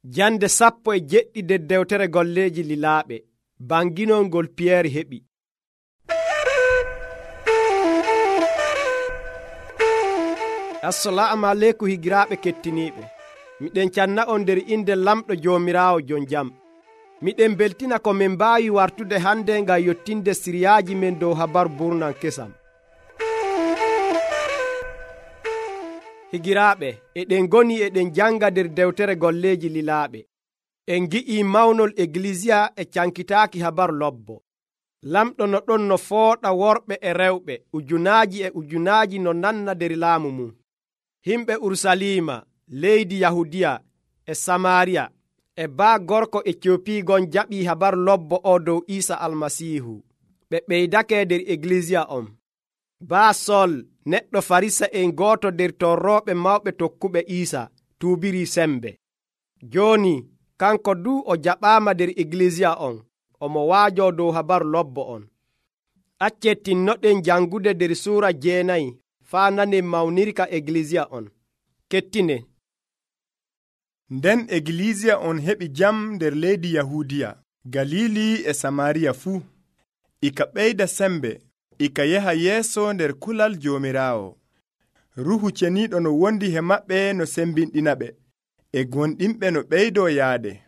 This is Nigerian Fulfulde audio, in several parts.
Jande 17 nder dewtere golleeji lilaaɓe, banginol ngol Piyeer heɓi. Assalamu aleykum higiraaɓe kettiniiɓe. Miɗen canna on nder inde lamɗo Joomiraawo jon jam. Miɗen beltina ko min mbaawi wartude hande ngam yottinde siriyaaji men dow habaru burnan kesam. Higiraaɓe, eɗen goni eɗen janga nder dewtere golleeji lilaaɓe. En gi'ii mawnol Eglisiya e cankitaaki habaru lobbo. Lamɗo no ɗon no fooɗa worɓe e rewɓe, ujunaaji no nanna nder laamu mum. Himɓe Urusalima, leydi Yahudiya e Samaariya e baa gorko Etiopi gon jaɓii habaru lobbo o dow Iisa Almasiihu. Ɓe ɓeydake nder Eglisiya on. Baa Sol, neɗɗo Farisa en gooto nder torrooɓe mawɓe tokkuɓe Iisa, tuubirii sembe. Jooni, kanko du o jaɓaama nder Eglisiya on, omo waajo dow habaru lobbo on. Accen tinnoɗen jangude nder suura 9 faa nanen mawnirka Eglisiya on. Kettine. Nden Eglisiya on heɓi jam nder leydi Yahudiya, Galili e Samaariya fuu. Ika ɓeyda sembe, ika yaha yeeso nder kulal Joomiraawo. Ruuhu Ceniiɗo no wondi he maɓɓe no sembinɗinaɓe, e gonɗinɓe no ɓeydoo yaade.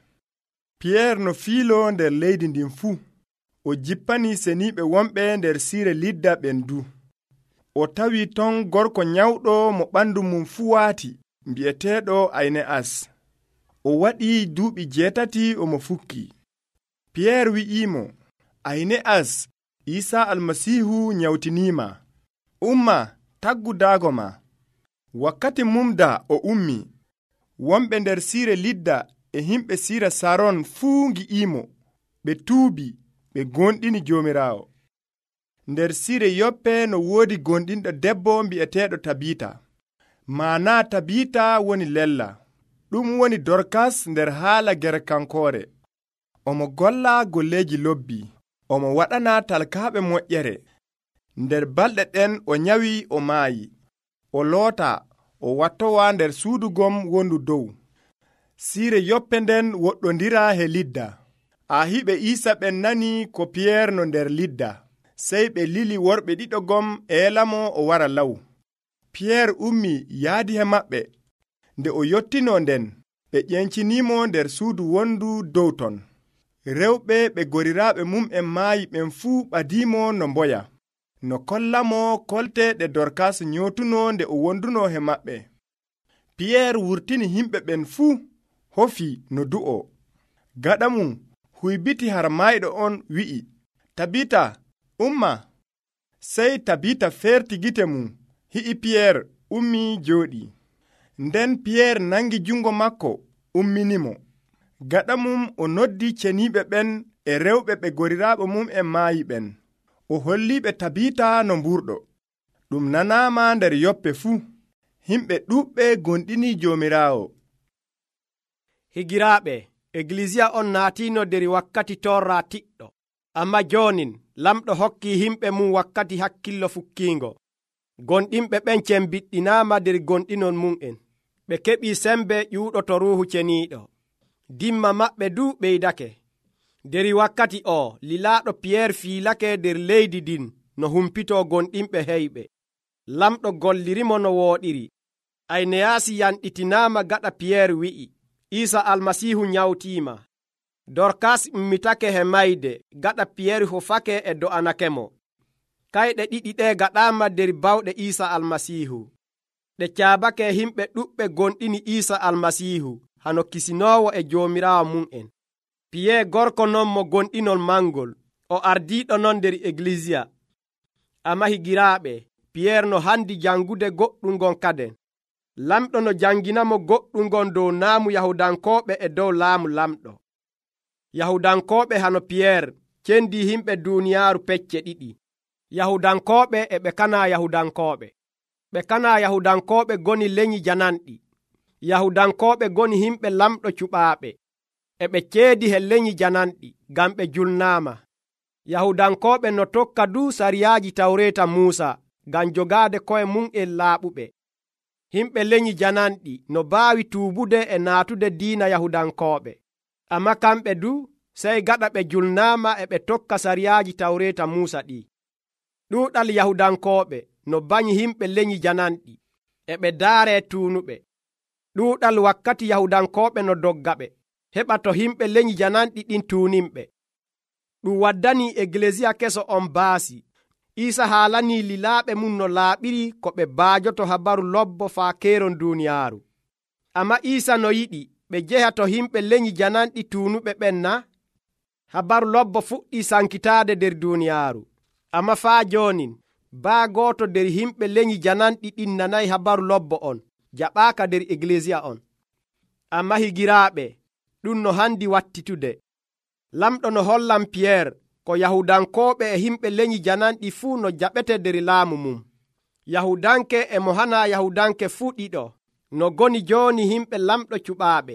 Piyeer no fiilo nder leydi ndin fuu, o jippanii seniiɓe wonɓe nder siire Lidda ɓen du. O tawii ton gorko nyawɗo mo ɓandu mum fuu waati, mbi'eteeɗo Ayne'as. O waɗii duuɓi 8 omo fukki. Piyeer wi'iimo, Ayne'as, Iisaa Almasiihu nyawtiniima. Umma, taggu daago ma. Wakkati mumda o ummi. Wonɓe nder siire Lidda e himɓe siira Saron fuu ngi'iimo. Ɓe tuubi, ɓe gonɗini Joomiraawo. Nder siire Yoppe no woodi gonɗinɗo debbo mbi'eteeɗo Tabita. Maana Tabita woni lella. Ɗum woni Dorkas nder haala Gerkankoore. Omo golla golleeji lobbi. Omo waɗana talkaaɓe moƴƴere. Nder balɗe ɗen o nyawi o maayi. O loota, o wattowa nder suudu gom wondu dow. Siire Yoppe nden woɗɗondira he Lidda. Ahiɓe Iisa ɓen nani ko Piyeer no nder Lidda. Sey ɓe lili worɓe ɗiɗo gom eelamo o wara law. Piyeer ummi yaadi he maɓɓe. Nde o yottino nden, ɓe ƴenciniimo nder suudu wondu dow ton. Rewɓe ɓe goriraaɓe mum en maayi ɓen fuu ɓadiimo no mboya, no kollamo kolte ɗe Dorkas nyootuno nde o wonduno he maɓɓe. Piyeer wurtini himɓe ɓen fuu, hofi no du'o. Gaɗa mum huybiti har mayɗo on wi'i, Tabita, umma. Sey Tabita ferti gite mum, hi'i Piyeer ummi jooɗi. Nden Piyeer nangi jungo makko umminimo. Gaɗa mum o noddi ceniiɓe ɓen e rewɓe ɓe goriraaɓe mum en maayi ɓen. O holliɓe Tabita no mburɗo. Ɗum nanaama nder Yoppe fuu. Himɓe ɗuuɓɓe gonɗini Joomiraawo. Higiraaɓe, Eglisiya on naatiino nder wakkati torra tiɗɗo. Amma joonin, lamɗo hokki himɓe mum wakkati hakkillo fukkiingo. Gonɗinɓe ɓen cembiɗɗinaama nder gonɗinol mum'en. Ɓe keɓii sembe ƴuuɗo to Ruuhu Ceniiɗo. Dimma maɓɓe du ɓeydake. Nder wakkati o, lilaaɗo Piyeer fiilake nder leydi ndin no humpitoo gonɗinɓe heyɓe. Lamɗo gollirimo no wooɗiri. Ayneyaasi yanɗitinaama gaɗa Piyeer wi'i, Iisa Almasiihu nyawtiima. Dorkas ummitake he mayde gaɗa Piyeer hofake e do'anakemo. Kayɗe ɗiɗi ɗe gaɗaama nder bawɗe Iisa Almasiihu. Ɗe caabake himɓe ɗuɓɓe gonɗini Iisa Almasiihu hano kisinoowo e Joomiraawo mum'en. Piyeer gorko non mo gonɗinol mangol, o ardiiɗo non nder Eglisiya. Amma higiraaɓe, Piyeer no handi jangude goɗɗum ngon kaden. Lamɗo no janginamo goɗɗum ngon dow naamu Yahudankooɓe e dow laamu lamɗo. Yahudankooɓe hano Piyeer cendi himɓe duuniyaaru pecce ɗiɗi. Yahudankooɓe e ɓe kana Yahudankooɓe. Ɓe kana Yahudankooɓe goni lenyi jananɗi. Yahudankooɓe goni himɓe lamɗo cuɓaaɓe. E ɓe ceedi he lenyi jananɗi ngam ɓe julnaama. Yahudankooɓe no tokka du sariyaaji Tawreeta Muusa ngam jogaade koye mum en laaɓuɓe. himɓe lenyi jananɗi no baawi tuubude e naatude diina yahudankooɓe, amma kamɓe du sey gaɗa ɓe julnaama e ɓe tokka sariyaaji tawreeta Muusa ɗi. ɗuuɗal yahudankooɓe no banyi himɓe lenyi jananɗi e ɓe daaree tuunuɓe. ɗuuɗal wakkati yahudankooɓe no doggaɓe heɓa to himɓe lenyi jananɗi ɗin tuuninɓe. ɗum waddani Egleesiya keso on baasi. Iisa haalanii lilaaɓe mum no laaɓiri ko ɓe baajoto habaru lobbo faa keeron duuniyaaru. Amma Iisa no yiɗi ɓe jeha to himɓe lenyi jananɗi tuunuɓe ɓen na? Habaru lobbo fuɗɗii sankitaade nder duuniyaaru. Amma faa joonin baa gooto nder himɓe lenyi jananɗi ɗin nanayi habaru lobbo on, jaɓaaka nder Egleesiya on. Amma higiraaɓe, ɗum no handi wattitude. Lamɗo no hollan Piyeer ko yahudankooɓe e himɓe lenyi jananɗi fuu no jaɓete nder laamu mum. Yahudanke e mo hana yahudanke fuu ɗiɗo no goni jooni himɓe lamɗo cuɓaaɓe.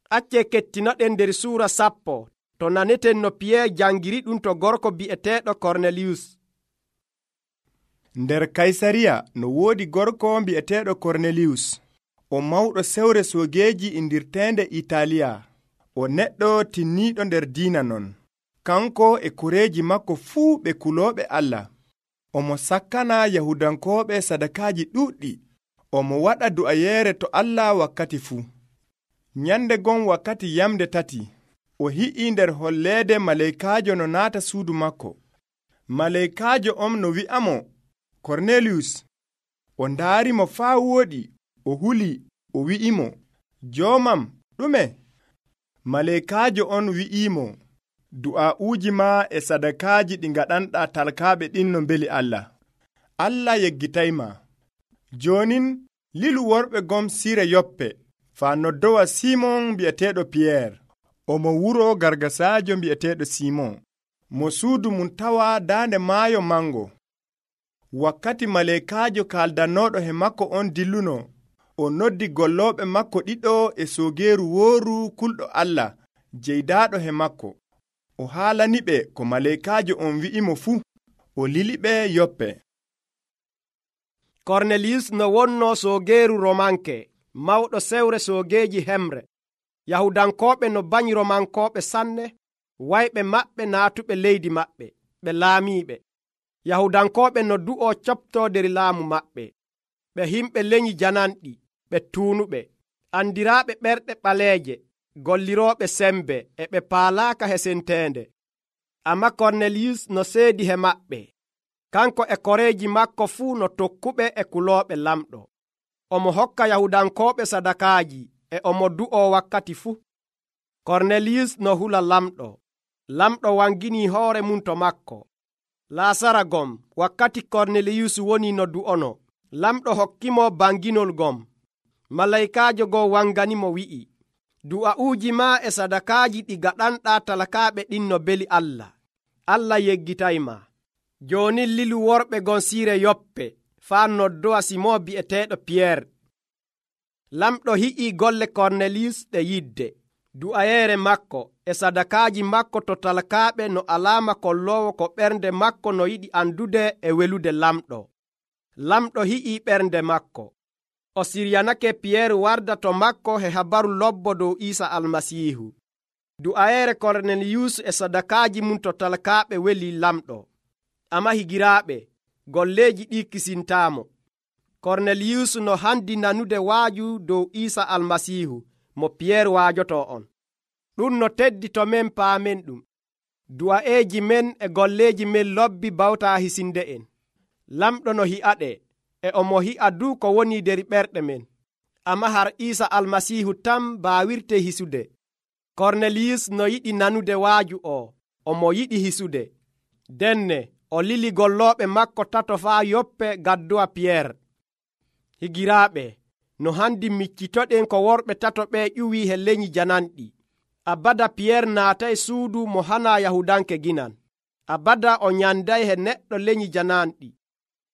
Acce kettinoɗen nder suura 10 to naneten no Piyeer jangiri ɗum to gorko bi'eteeɗo Korneliyus. Nder Kaysariya no woodi gorko bi'eteeɗo Korneliyus. O mawɗo sewre soogeeji indirteende Itaaliya. O neɗɗo tinniiɗo nder diina non. Kanko e koreeji makko fuu ɓe kulooɓe Allah. Omo sakkana yahudankooɓe sadakaaji ɗuuɗɗi. Omo waɗa du'ayeere to Allah wakkati fuu. Nyande gon wakkati yamde 3 o hi'i nder holleede maleykaajo no naata suudu makko. Maleykaajo on no wi'amo, Korneliyus. O ndaarimo faa wooɗi, o huli, o wi'imo, joomam ɗume? Maleykaajo on wi'imo, du'aa'uuji ma e sadakaaji ɗi ngaɗanɗaa talkaaɓe ɗin no mbeli Allah. Allah yeggitayma. Joonin lilu worɓe gom sire Yoppe faa noddowa Simon bi'eteeɗo Piyeer. Omo wuro gargasaajo bi'eteeɗo Simon, mo suudu mum tawa daande maayo mango. Wakkati maleykaajo kaaldanooɗo he makko on dilluno, o noddi gollooɓe makko ɗiɗo e soogeeru wooru kulɗo Allah jeydaaɗo he makko. O haalaniɓe ko maleykaajo on wi'imo fuu. O liliɓe Yoppe. Korneliyus no wonno soogeeru Romanke, mawɗo sewre soogeeji hemre. Yahudankooɓe no banyi Romankooɓe sanne, wayɓe maɓɓe naatuɓe leydi maɓɓe, ɓe laamiiɓe. Yahudankooɓe no du'o coptoo nder laamu maɓɓe. Ɓe himɓe lenyi jananɗi, ɓe tuunuɓe, andiraaɓe ɓerɗe ɓaleeje, gollirooɓe sembe, e ɓe paalaaka hesenteende. Amma Korneliyus no seedi he maɓɓe. Kanko e koreeji makko fuu no tokkuɓe e kulooɓe lamɗo. Omo hokka yahudankooɓe sadakaaji, e omo du'o wakkati fuu. Korneliyus no hula lamɗo. Lamɗo wanginii hoore mum to makko. Laasara gom wakkati Korneliyus woni no du'ono, lamɗo hokkimo banginol gom. Malaykaajo go wanganimo wi'i, du'a'uuji ma e sadakaaji ɗi gaɗanɗaa talakaaɓe ɗin no beli Allah. Allah yeggitayma. Jooni lilu worɓe gon siire Yoppe faa noddowa Simon bi'eteeɗo Piyeer. Lamɗo hi'ii golle Korneliyus ɗe yidde, du'ayeere makko e sadakaaji makko to talakaaɓe no alaama kolloowo ko ɓernde makko no yiɗi andude e welude lamɗo. Lamɗo hi'ii ɓernde makko. O siryanake Piyeer warda to makko he habaru lobbo dow Iisa Almasiihu. Du'ayeere Korneliyus e sadakaaji mum to talakaaɓe weli lamɗo. Amma higiraaɓe, golleeji ɗi kisintaamo. Korneliyus no handi nanude waaju dow Iisa Almasiihu mo Piyeer waajoto on. Ɗum no teddi to men paamen ɗum. Du'aeeji men e golleeji men lobbi bawtaa hisinde en. Lamɗo no hi'aɗe, e omo hi'a du ko woni nder ɓerɗe men. Amma har Iisa Almasiihu tan baawirte hisude. Korneliyus no yiɗi nanude waaju o, omo yiɗi hisude. Denne o lili gollooɓe makko 3 faa Yoppe gadduwa Piyeer. Higiraaɓe, no handi miccitoɗen ko worɓe 3 ɓe ƴuwii he lenyi jananɗi. Abada Piyeer naatay suudu mo hana yahudanke ginan. Abada o nyanday he neɗɗo lenyi jananɗi.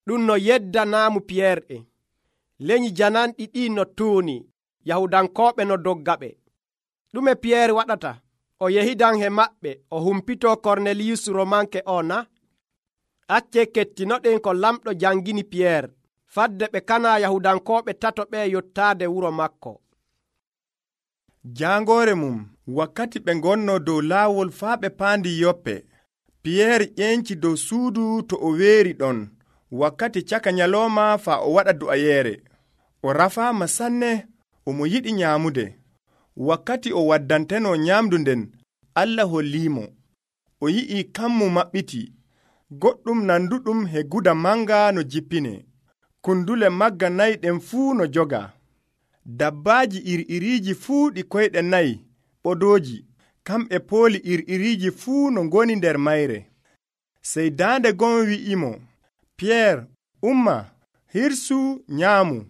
Ɗum no yeddanaamu Piyeer en. Lenyi jananɗi ɗi no tuuni, yahudankooɓe no doggaɓe. Ɗume Piyeer waɗata? O yehidan he maɓɓe, o humpitoo Korneliyus Romanke o na? Acce kettinoɗen ko lamɗo jangini Piyeer, fadde ɓe kana Yahudankooɓe tato ɓe yottaade wuro makko. Jaangoore mum wakkati ɓe ngonno dow laawol faa ɓe paandi Yoppe, Piyeer ƴenci dow suudu to o weeri ɗon wakkati caka nyalooma faa o waɗa du'ayeere. O rafaama sanne, omo yiɗi nyaamude. Wakkati o waddanteno nyaamdu nden, Allah holliimo. O yi'i kammu maɓɓiti, goɗɗum nanduɗum he guda manga no jippine. Kundule magga nayi ɗen fuu no joga. Dabbaaji iri-iriiji fuu ɗi koyɗe nayi ɓodooji, kamɓe pooli iri-iriiji fuu no ngoni nder mayre. Sey daande gon wi'imo, Piyeer, umma, hirsu nyaamu.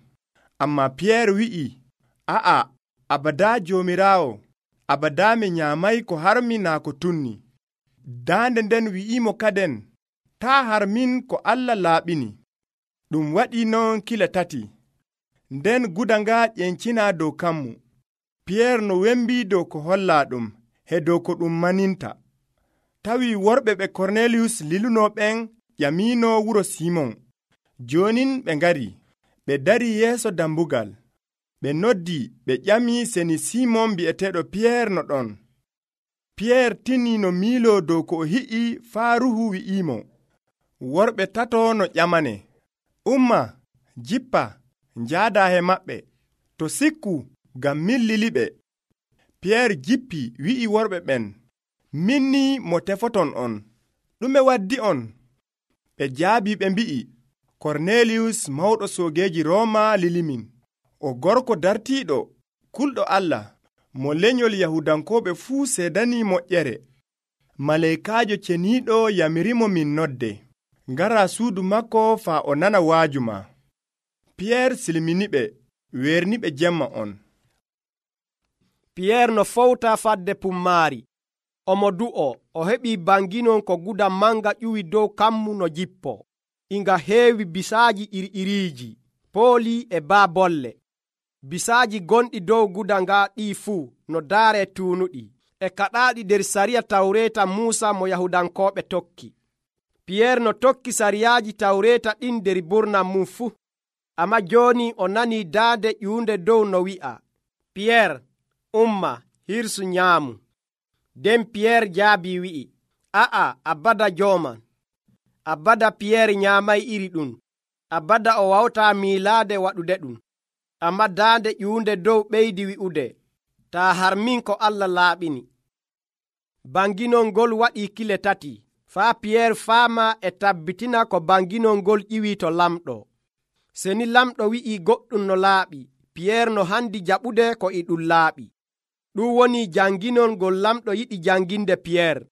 Ammaa Piyeer wi'i, a'a, abadaa Joomiraawo, abadaa mi nyaamay ko harmi naa ko tunni. Daande nden wi'imo kaden, taa harmin ko Allah laaɓini. Ɗum waɗii non kila tati. Nden guda nga ƴencinaa dow kammu. Piyeer no wembii dow ko hollaa ɗum he dow ko ɗum maninta. Tawi worɓe ɓe Korneliyus lilunoo ɓen ƴamiino wuro Simon. Joonin ɓe ngari, ɓe darii yeeso dambugal. Ɓe noddi ɓe ƴamii seni Simon bi'eteeɗo Piyeer no ɗon. Piyeer tinii no miiloo dow ko o hi'i faa Ruuhu wi'iimo, worɓe tato no ƴamane. Umma, jippa, njaadaa he maɓɓe, to sikku ngam min liliɓe. Piyeer jippi wi'i worɓe ɓen, min ni mo tefoton on. Ɗume waddi on? Ɓe jaabii ɓe mbi'i, Korneliyus mawɗo soogeeji Rooma lilimin. O gorko dartiiɗo, kulɗo Allah, mo lenyol Yahudankooɓe fuu seedanii moƴƴere. Maleykaajo ceniiɗo yamirimo min nodde. Ngaraa suudu makko faa o nana waajuma. Piyeer silminiɓe, weerniɓe jemma on. Piyeer no fowta fadde pummaari. Omo du'o, o heɓii banginon ko guda manga ƴuwi dow kammu no jippo. Inga heewi bisaaji iri-iriiji, pooli e baabolle. Bisaaji gonɗi dow guda nga ɗii fuu no daaree tuunuɗi, e kaɗaaɗi nder sariya Tawreeta Muusa mo Yahudankooɓe tokki. Piyeer no tokki sariyaaji Tawreeta ɗin nder burnam mum fuu. Ammaa jooni o nanii daande ƴuunde dow no wi'a, Piyeer, umma, hirsu nyaamu. Nden Piyeer jaabii wi'i, a'a, abada jooman. Abada Piyeer nyaamay iri ɗum. Abada o wawtaa miilaade waɗude ɗum. Ammaa daande ƴuunde dow ɓeydi wi'ude, taa harmin ko Allah laaɓini. Banginol ngol waɗii kile tati, faa Piyeer faama e tabbitina ko banginol ngol ƴiwii to lamɗo. Seni lamɗo wi'ii goɗɗum no laaɓi, Piyeer no handi jaɓude ko e ɗum laaɓi. Ɗum woni janginol ngol lamɗo yiɗi janginde Piyeer.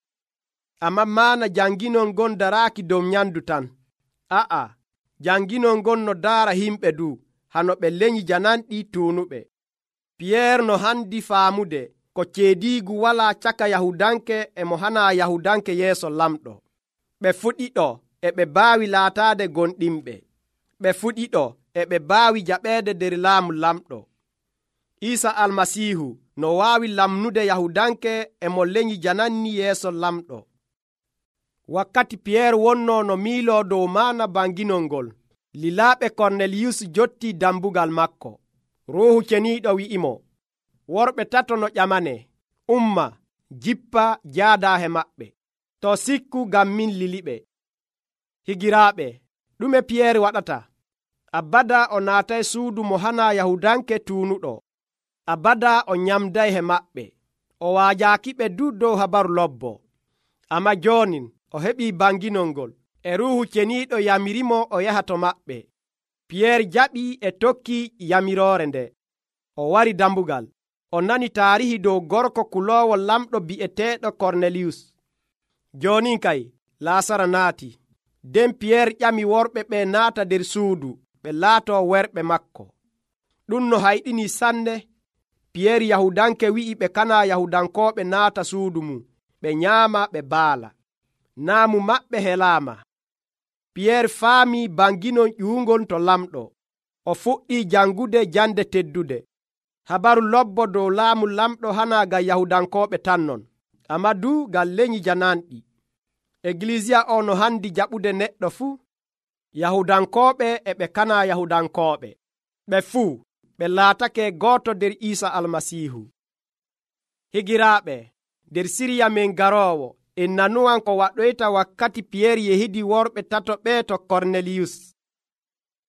Ammaa maana janginol ngon daraaki dow nyamdu tan. A'a, janginol ngon no daara himɓe du, hano ɓe lenyi jananɗi tuunuɓe. Piyeer no handi faamude ko ceediigu walaa caka Yahudanke e mo hanaa Yahudanke yeeso lamɗo. Ɓe fuɗiɗo e ɓe baawi laataade gonɗinɓe. Ɓe fuɗiɗo e ɓe baawi jaɓeede nder laamu lamɗo. Iisa Almasiihu no waawi lamnude Yahudanke e mo lenyi jananni yeeso lamɗo. Wakkati Piyeer wonnoo no miiloo dow maana banginol ngol, lilaaɓe Korneliyus jottii dambugal makko. Ruuhu ceniiɗo wi'imo, worɓe tato no ƴamane, umma, jippa, jaadaa he maɓɓe. To sikku ngam min liliɓe. Higiraaɓe, ɗume Piyeer waɗata? Abada o naatay suudu mo hanaa Yahudanke tuunuɗo. Abada o nyamday he maɓɓe. O waajaakiɓe du dow habaru lobbo. Ammaa joonin o heɓii banginol ngol, e Ruuhu ceniiɗo yamirimo o yaha to maɓɓe. Piyeer jaɓii e tokki yamiroore nde. O wari dambugal. O nani taarihi dow gorko kuloowo lamɗo bi'eteeɗo Korneliyus. Joonin kay Laasara naati. Nden Piyeer ƴami worɓe ɓe naata nder suudu ɓe laatoo werɓe makko. Ɗum no hayɗini sanne. Piyeer Yahudanke wi'i ɓe kana Yahudankooɓe naata suudu mum, ɓe nyaama ɓe baala. Naamu maɓɓe helaama. Piyeer faamii banginol ƴuungol to lamɗo. O fuɗɗii jangude jande teddude. Habaru lobbo dow laamu lamɗo hanaa ngam Yahudankooɓe tan non, ammaa du ngam lenyi jananɗi. Egiliisiya o no handi jaɓude neɗɗo fuu. yahudankooɓe e ɓe kana yahudankooɓe ɓe fuu ɓe laatake gooto nder Iisa almasiihu. Higiraaɓe, nder siriya men garoowo en nanuwan ko waɗoyta wakkati Piyeer yehidi worɓe tato ɓe to Korneliyus.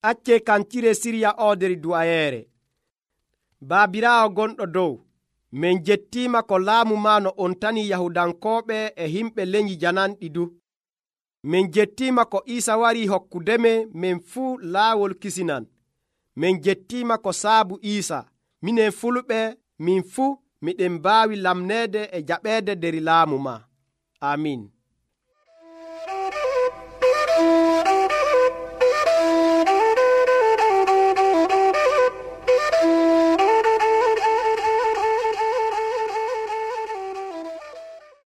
Acce kancire siriya o nder du'ayeere. Baabiraawo gonɗo dow, min jettiima ko laamu ma no on tani yahudankooɓe e himɓe lenyi jananɗi du. Min jettiima ko Iisa wari hokkudeme min fuu laawol kisinan. Min jettiima ko saabu Iisa minen fulɓe min fuu miɗen mbaawi lamneede e jaɓeede nder laamu ma. Amin.